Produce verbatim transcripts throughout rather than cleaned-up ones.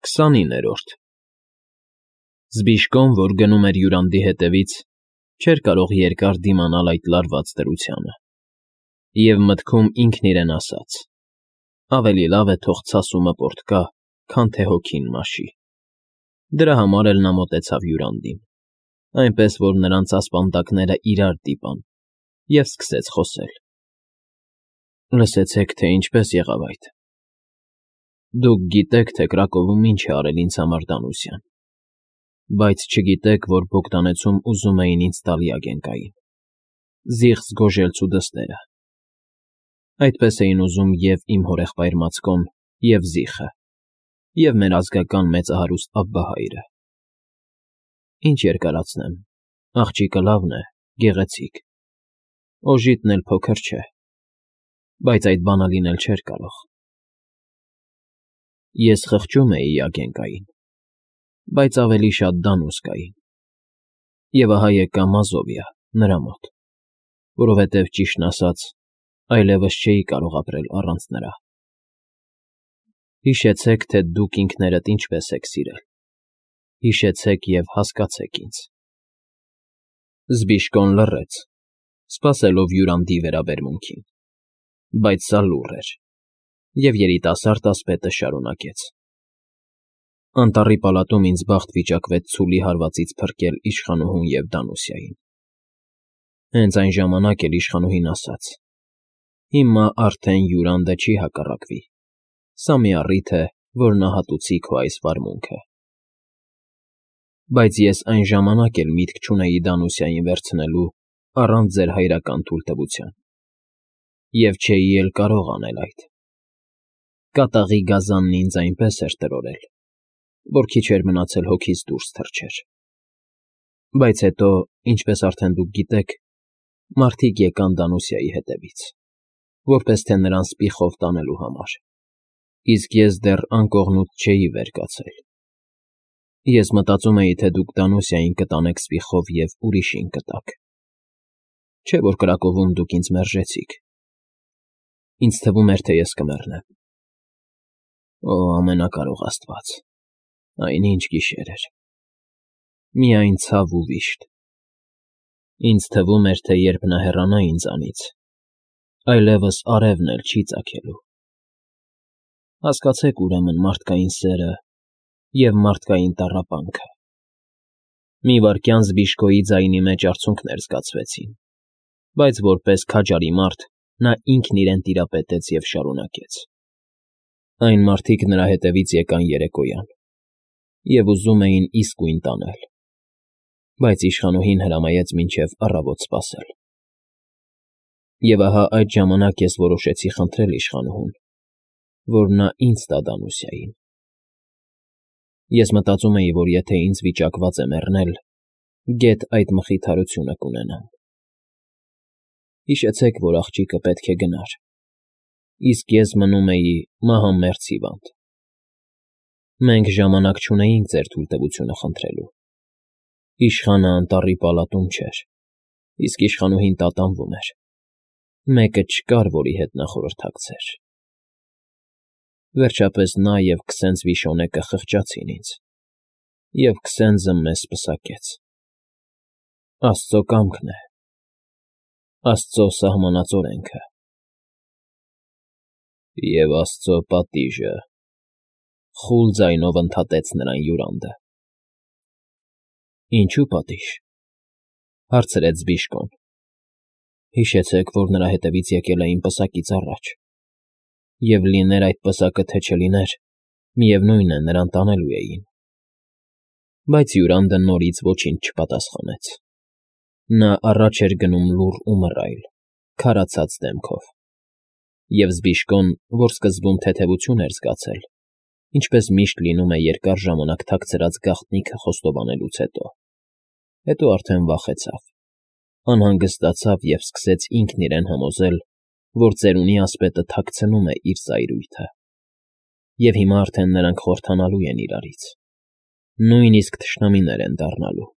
քսանիններորդ Զբիշկոն, որ գնում էր հյուրանդի հետևից, չէր կարող երկար դիմանալ այդ լարված դրությանը, և մտքում ինքն իրեն ասաց. ավելի լավ է թող ցասումը պոռթկա, քան թե հոգին մաշի։ Դրա համար էլ նա մոտեցավ հյուրանդին, այնպես որ նրանց ասպանդակները իրար դիպան, և սկսեց խոսել. Լսեցեք, թե ինչպես եղավ այդ։ Դուք գիտեք, թե Կրակովում ինչ է արել ինձ համար Դանուսյան, բայց չգիտեք, որ Բոգդանեցում ուզում էին ինձ տալ Յագենկային, զիղծ Գոժելցու դստերը։ Այդպես էին ուզում և իմ հորեղբայր Մացկոն, և Զիխը, և մեր ազգական մեծահարուստ Աբբահայրը։ Ինչ երկարացնեմ, աղջիկը լավն է, գեղեցիկ, օժիտն էլ փոքր չէ, բայց այդ բանը լինել չէր կարող։ Ես խղճում էի Յագենկային, բայց ավելի շատ Դանուսկային, և ահա եկա Մազովիա, նրա մոտ, որովհետև, ճիշտն ասած, այլևս չէի կարող ապրել առանց նրա։ Հիշեցեք, թե դուք ինքներդ ինչպես եք սիրել, հիշեցեք և հասկացեք ինձ։ Զբիշկոն լռեց, սպասելով հյուրանդի վերաբերմունքին, բայց սա լուռ էր, և երիտասարդ ասպետը շարունակեց. Անտառի պալատում ինձ բախտ վիճակվեց ցուլի հարվածից փրկել իշխանուհուն և Դանուսիային։ Հենց այն ժամանակ էլ իշխանուհին ասաց. Հիմա արդեն հյուրանդը չի հակառակվի, սա մի առիթ է, որ նահատուցի քո այս վարմունքը։ Բայց ես այն ժամանակ էլ միտք չունեի Դանուսիային վերցնելու առանց ձեր հայրական թույլտվության, և չէի էլ կարող անել այդ։ Կատաղի գազանն ինձ այնպես էր տրորել, որ քիչ էր մնացել հոգիս դուրս թռչեր։ Բայց հետո, ինչպես արդեն դուք գիտեք, մարդիկ եկան Դանուսիայի հետևից, որպես թե նրան սպիխով տանելու համար, իսկ ես դեռ անկողնուց չէի վեր կացել։ Ես մտածում էի, թե դուք Դանուսիային կտանեք սպիխով և ուրիշին կտաք։ Չէ՞ որ Կրակովում դուք ինձ մերժեցիք։ Ինձ թվում էր, թե ես կմեռնեմ։ Օ, ամենակարող Աստված, այն ինչ գիշեր էր։ Միայն ցավ ու վիշտ։ Ինձ թվում էր, թե երբ նա հեռանա ինձանից, այլևս արևն էլ չի ծագելու։ Հասկացեք, ուրեմն, մարդկային սերը և մարդկային տառապանքը։ Մի վայրկյան Զբիշկոյի ձայնի մեջ արցունքներ զգացվեցին, բայց որպես քաջարի մարդ նա ինքն իրեն տիրապետեց և շարունակեց. Այն մարդիկ նրա հետևից եկան երեկոյան և ուզում էին իսկույն տանել, բայց իշխանուհին հրամայեց մինչև առավոտ սպասել։ Եվ ահա այդ ժամանակ ես որոշեցի խնդրել իշխանուհուն, որ նա ինձ տա Դանուսիային։ Ես մտածում էի, որ եթե ինձ վիճակված է մեռնել, գեթ այդ մխիթարությունը կունենամ։ Հիշեցեք, որ աղջիկը պետք է գնար, իսկ ես մնում էի մահամերձ հիվանդ։ Մենք ժամանակ չունեինք ձեր թույլտվությունը խնդրելու։ Իշխանը անտառի պալատում չէր, իսկ իշխանուհին տատանվում էր։ Մեկը չկար, որի հետ նա խորհրդակցեր։ Վերջապես նա և քսենց Վիշոնեկը խղճացին ինձ, և քսենզը մեզ պսակեց։ Աստծո կամքն է, Աստծո սահմանած օրենքը։ Եվ Աստծո պատիժը, խուլ ձայնով ընդհատեց նրան հյուրանդը։ Ինչո՞ւ պատիժ, հարցրեց Զբիշկոն։ Հիշեցեք, որ նրա հետևից եկել էին պսակից առաջ, և լիներ այդ պսակը, թե չլիներ, միևնույն է, նրան տանելու էին։ Բայց հյուրանդը նորից ոչինչ չպատասխանեց։ Նա առաջ էր գնում լուռ ու մռայլ, քարացած դեմքով։ Եվ Զբիշկոն, որ սկզբում թեթևություն էր զգացել, ինչպես միշտ լինում է երկար ժամանակ թաքցրած գաղտնիքը խոստովանելուց հետո, հետո արդեն վախեցավ, անհանգստացավ և սկսեց ինքն իրեն համոզել, որ ծերունի ասպետը թաքցնում է իր ծայրույթը, և հիմա արդեն նրանք խորհրդանալու են իրարից, նույնիսկ թշնամիներ են դառնալու։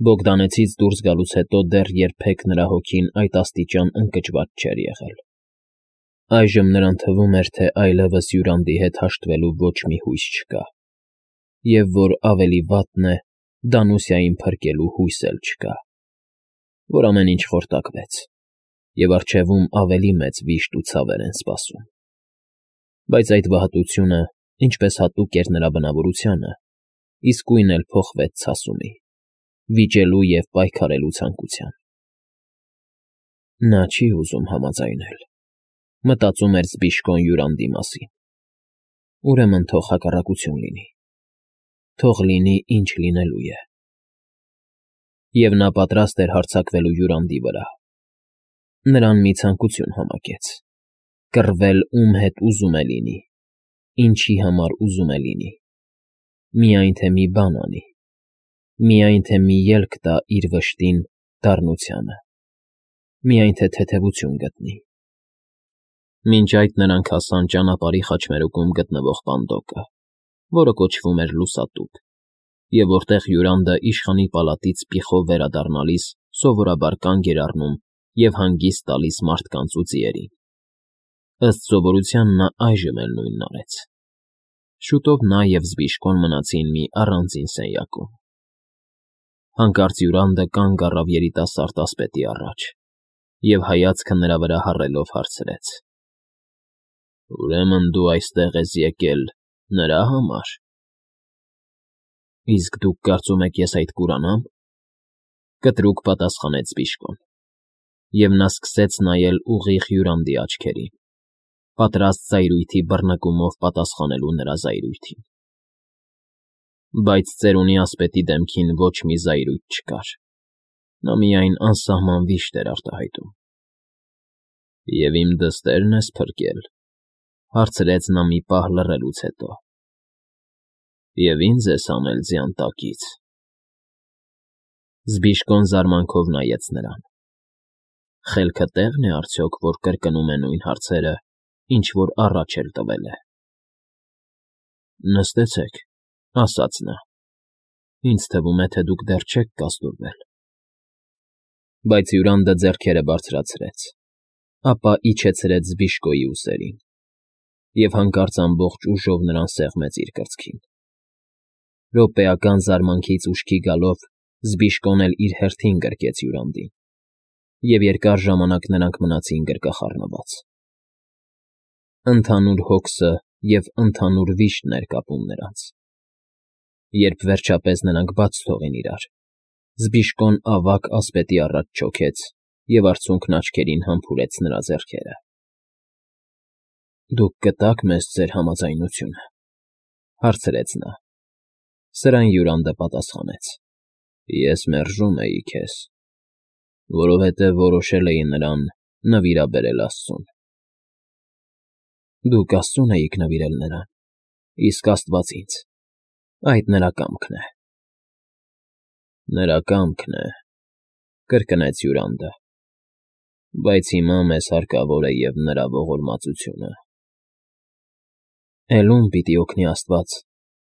Բոգդանեցից դուրս գալուց հետո դեռ երբեք նրա հոգին այդ աստիճան ընկճված չէր եղել։ Այժմ նրան թվում էր, թե այլևս Յուրանդի հետ հաշտվելու ոչ մի հույս չկա, և որ ավելի վատն է, Դանուսիային փրկելու հույս էլ չկա, որ ամեն ինչ խորտակվեց, և առջևում ավելի մեծ վիշտ ու ցավեր են սպասում։ Բայց այդ վհատությունը, ինչպես հատուկ էր նրա բնավորությանը, իսկույն էլ փոխվեց ցասումի, վիճելու և պայքարելու ցանկության։ Նա չի ուզում համաձայնել, մտածում էր զբիշկոն Յուրանդի մասին։ Ուրեմն թող հակառակություն լինի, թող լինի, ինչ լինելու է։ Եվ նա պատրաստ էր հարձակվելու Յուրանդի վրա։ Նրան մի ցանկություն համակեց՝ կռվել ում հետ ուզում է լինի, ինչի համար ուզում է լինի, միայն թե մի բան անի, միայն թե մի ելք տա իր վշտին, դառնությանը, միայն թե թեթևություն գտնի։ Մինչ այդ նրանք հասան ճանապարհի խաչմերուկում գտնվող պանդոկը, որը կոչվում էր Լուսատուփ, և որտեղ Յուրանդը իշխանի պալատից պիխով վերադառնալիս սովորաբար կանգ էր առնում և հանգիստ տալիս մարդկանց ու ձիերին։ Ըստ սովորության նա այժմ էլ նույնն արեց։ Շուտով նա և զբիշկոն մնացին մի առանձին սենյակում։ Հանկարծ Յուրանդը կանգ առավ երիտասարդ ասպետի առաջ և, հայացքը նրա վրա հառելով, հարցրեց. «Ուրեմն դու այստեղ ես եկել նրա համար։ Իսկ դուք կարծում եք ես այդ կուրանա՞մ», կտրուկ պատասխանեց զբիշկոն, և նա սկսեց նայել ուղիղ Յուրանդի աչքերին, պատրաստ զայրույթի բռնկումով պատասխանելու նրա զայրույթին։ Բայց ծերունի ասպետի դեմքին ոչ մի զայրույթ չկար, նա միայն անսահման վիշտ էր արտահայտում։ «Եվ իմ դստե՞րն ես փրկել», հարցրեց նա մի պահ լռելուց հետո։ «Եվ ինձ ես անել ձյան տակից»։ Զբիշկոն զարմանքով նայեց նրան։ Խելքը տեղ՞ն է արդյոք, որ կրկնում է նույն հարցերը, ինչ որ առաջ էլ տվել է։ «Նստեցեք», ասաց նա, «ինձ թվում է, թե դուք դեռ չեք կազդուրվել»։ Բայց Յուրանդը ձեռքերը բարձրացրեց, ապա իջեցրեց զբիշկոյի ուսերին և հանկարծ ամբողջ ուժով նրան սեղմեց իր կրծքին։ Րոպեական զարմանքից ուշքի գալով զբիշկոն էլ իր հերթին գրկեց Յուրանդին, և երկար ժամանակ նրանք մնացին գրկախառնված։ Ընդհանուր հոգսը և ընդհանուր վիշտն էր կապում նրանց։ Երբ վերջապես նրանք բաց թողին իրար, զբիշկոն ավագ ասպետի առաջ չոքեց և արցունքն աչքերին համբուրեց նրա ձեռքերը։ «Դուք կտա՞ք մեզ ձեր համաձայնությունը», հարցրեց նա։ Սրան Յուրանդը պատասխանեց. «Ես մերժում էի քեզ, որովհետև որոշել էի նրան նվիրաբերել աստծուն»։ «Դուք աստծուն էիք նվիրել նրան, իսկ Աստված՝ ինձ, այդ նրա կամքն է»։ «Նրա կամքն է», կրկնեց Յուրանդը, «բայց հիմա մեզ հարկավոր է և նրա ողորմածությունը»։ «Էլ ո՞ւմ պիտի օգնի աստված,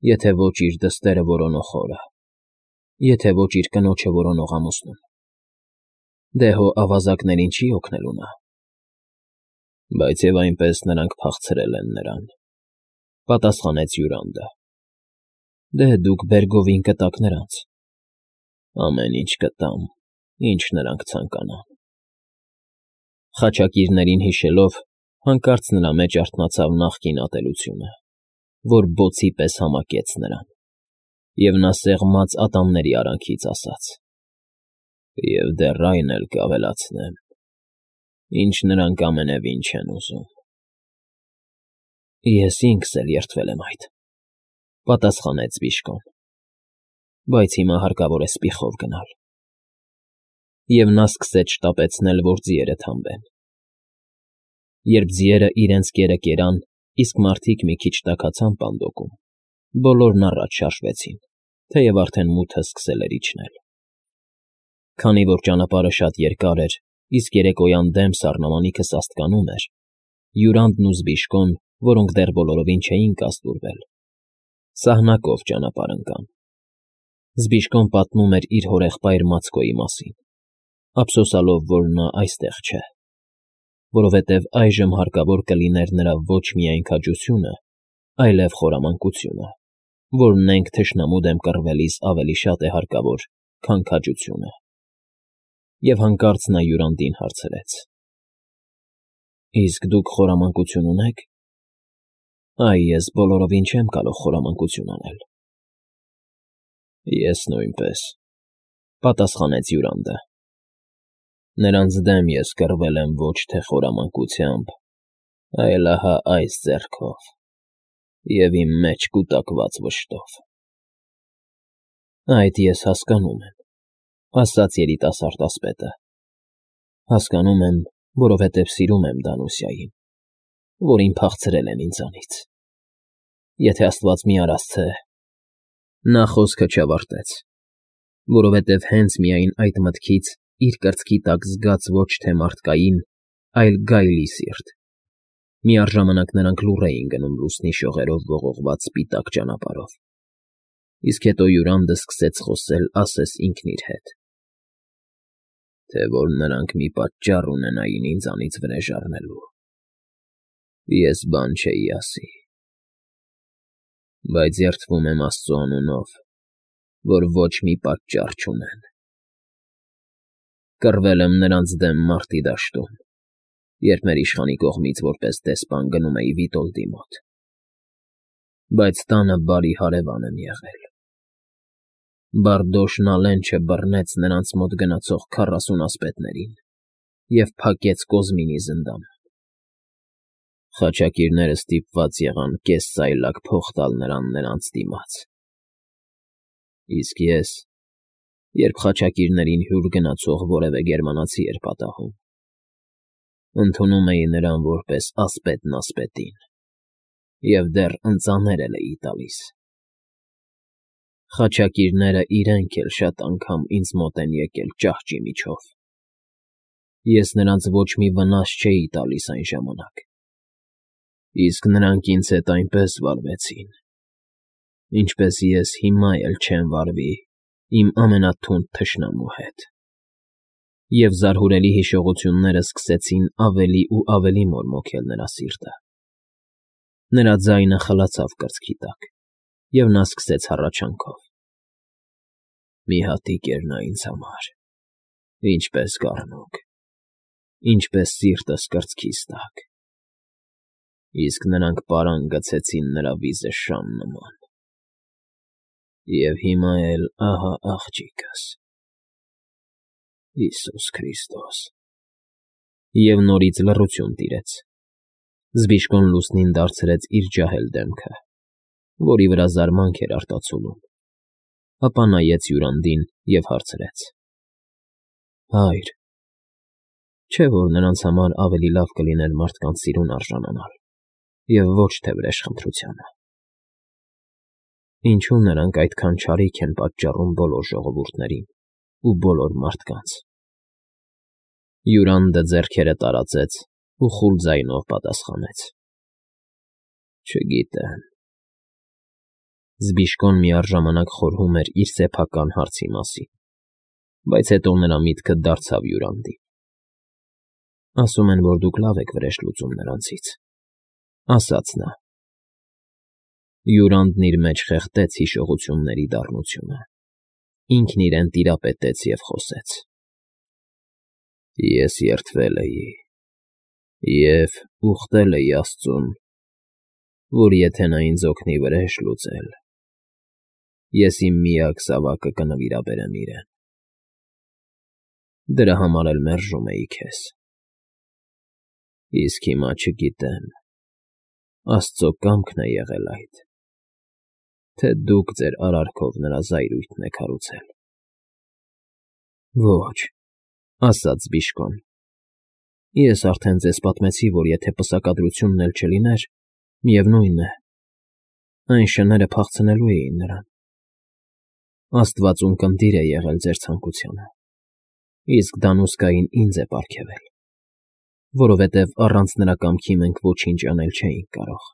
եթե ոչ իր դստերը որոնող հորը, եթե ոչ իր կնոջը որոնող ամուսնուն։ Դե հո ավազակներին չի՞ օգնելու նա»։ «Բայց և այնպես նրանք փախցրել են նրան», պատասխանեց Յուրանդը։ «Դե դուք բերգովին կտաք նրանց»։ «Ամեն ինչ կտամ, ինչ նրանք ցանկանան»։ Խաչակիրներին հիշելով, հանկարծ նրա մեջ արթնացավ նախկին ատելությունը, որ բոցի պես համակեց նրան, և նա սեղմած ատամների արանքից ասաց. «Եվ դեռ այն էլ կավելացնեմ, ինչ նրանք ամենևին չեն ուզում»։ «Ես ինքս էլ երդվել եմ այդ», պատասխանեց զբիշկոն, «բայց հիմա հարկավոր է սպիխով գնալ»։ Եվ նա սկսեց շտապեցնել, որ ձիերը թամբեն։ Երբ ձիերը իրենց կերը կերան, իսկ մարդիկ մի քիչ տաքացան պանդոկում, բոլորն առաջ շարժվեցին, թեև արդեն մութը սկսել էր իջնել։ Քանի որ ճանապարհը շատ երկար էր, իսկ երեկոյան դեմ սառնամանիքը սաստկանում էր, Յուրանդն ու զբիշկոն, որոնք դեռ բոլորովին չէին կազդուրվել, սահնակով ճանապարհ ընկան։ Զբիշկոն պատմում էր իր հորեղբայր Մացկոյի մասին, ափսոսալով, որ նա այստեղ չէ։ որովհետև այժմ հարկավոր կլիներ նրա ոչ միայն քաջությունը, այլև խորամանկությունը, որ նենք թշնամու դեմ կռվելիս ավելի շատ է հարկավոր, քան քաջությունը։ Եվ հանկարծ նա Յուրանդին հարցրեց. Իսկ դուք խորամանկություն ունե՞ք։ Այ ես բոլորովին չեմ կարող խորամանկություն անել։ Ես նույնպես, պատասխանեց Յուրանդը։ Նրանց դեմ ես կռվել եմ ոչ թե խորամանկությամբ, այլ ահա այս ձեռքով և իմ մեջ կուտակված վշտով։ Այդ ես հասկանում եմ, ասաց երիտասարդ ասպետը, հասկանում եմ, որովհետև սիրում եմ Դանուսիային, որին փախցրել են ինձանից։ Եթե Աստված մի արասցե… Նա խոսքը չավարտեց, որովհետև հենց միայն այդ մտքից իր կրծքի տակ զգաց ոչ թե մարդկային, այլ գայլի սիրտ։ Միառժամանակ նրանք լուռ էին գնում լուսնի շողերով ողողված սպիտակ ճանապարհով, իսկ հետո Յուրանդը սկսեց խոսել ասես ինքն իր հետ. Թե որ նրանք մի պատճառ ունենային ինձանից վրեժ առնելու, ես բան չէի ասի, բայց երդվում եմ Աստծու անունով, որ ոչ մի պատճառ չունեն։ Կռվել եմ նրանց դեմ մարտի դաշտում, երբ մեր իշխանի կողմից որպես դեսպան գնում էի Վիտոլդի մոտ, բայց տանը բարի հարևան եմ եղել։ Բարդոշնալեն չբռնեց նրանց մոտ գնացող քառասուն ասպետներին և փակեց Կոզմինի զնդանում։ Խաչակիրները ստիպված եղան կես սայլակ փող տալ նրան նրանց դիմաց։ Իսկ ես, երբ խաչակիրներին հյուր գնացող որևէ գերմանացի էր պատահում, ընդունում էի նրան որպես ասպետն ասպետին և դեռ ընծաներ էլ էի տալիս։ Խաչակիրները իրենք էլ շատ անգամ ինձ մոտ են եկել ճահճի միջով։ Ես նրանց ոչ մի վնաս չէի տալիս այն ժամանակ, իսկ նրանք ինձ հետ այնպես վարվեցին, ինչպես ես հիմա էլ չեմ վարվի իմ ամենաթունդ թշնամու հետ։ Եվ զարհուրելի հիշողությունները սկսեցին ավելի ու ավելի մորմոքել նրա սիրտը։ Նրա ձայնը խլացավ կրծքի տակ, և նա սկսեց հառաչանքով. Մի հատիկ էր նա ինձ համար, ինչպես կառնուկ, ինչպես սիրտս կրծքիս տակ, իսկ նրանք պարան գցեցին նրա վիզը շան նման։ Եվ հիմա էլ ահա աղջիկս… Հիսուս Քրիստոս… Եվ նորից լռություն տիրեց։ Զբիշկոն լուսնին դարձրեց իր ջահել դեմքը, որի վրա զարմանք էր արտացուլում, ապա նայեց Յուրանդին և հարցրեց. Հայր, չէ՞ որ նրանց համար ավելի լավ կլիներ մարդկանց սիրուն արժանանալ և ոչ թե վրեժխնդրությանը։ Ինչո՞ւ նրանք այդքան չարիք են պատճառում բոլոր ժողովուրդներին ու բոլոր մարդկանց։ Յուրանդը ձեռքերը տարածեց ու խուլ ձայնով պատասխանեց. Չգիտեմ։ Զբիշկոն միառժամանակ խորհում էր իր սեփական հարցի մասին, բայց հետո նրա միտքը դարձավ Յուրանդին։ Ասում են, որ դուք լավ եք վրեժ լուծում նրանցից, ասաց նա։ Յուրանդն իր մեջ խեղդեց հիշողությունների դառնությունը, ինքն իրեն տիրապետեց և խոսեց. Ես երդվել էի և ուխտել էի Աստծուն, որ եթե նա ինձ օգնի վրեժ լուծել, ես իմ միակ զավակը կնվիրաբերեմ իրեն։ Դրա համար էլ մերժում էի քեզ։ Իսկ հիմա չգիտեմ, Աստծո կամքն է եղել այդ, թե դուք ձեր արարքով նրա զայրույթն եք հարուցել։ Ոչ, ասաց Զբիշկոն, ես արդեն ձեզ պատմեցի, որ եթե պսակադրությունն էլ չլիներ, միևնույն է, այն շները փախցնելու էին նրան։ Աստված ունկնդիր է եղել ձեր ցանկությանը, իսկ Դանուսկային ինձ է պարգևել, որովհետև առանց նրա կամքի մենք ոչինչ անել չէինք կարող։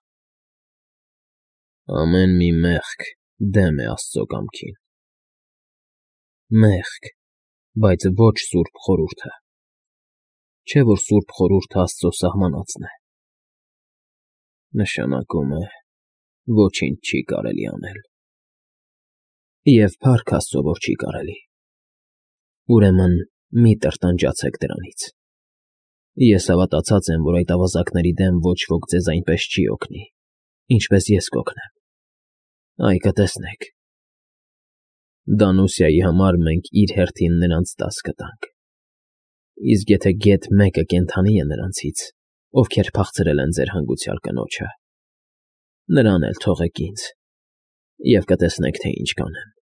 Ամեն մի մեղք դեմ է Աստծո կամքին։ Մեղք, բայց ոչ սուրբ խորհուրդը։ Չէ՞ որ սուրբ խորհուրդը Աստծո սահմանածն է։ Նշանակում է, ոչինչ չի կարելի անել։ Եվ փառք Աստծո, որ չի կարելի։ Ուրեմն մի տրտանջացեք դրանից։ Ես հավատացած եմ, որ այդ ավազակների դեմ ոչ ոք ձեզ այնպես չի օգնի, ինչպես ես կօգնեմ։ Այ կտեսնեք։ Դանուսիայի համար մենք իր հերթին նրանց դաս կտանք։ Իսկ եթե գեթ մեկը կենդանի է նրանցից, ովքեր փախցրել են ձեր հանգուցյալ կնոջը, նրան էլ թողեք ինձ, և կտեսնեք, թե ինչ կանեմ։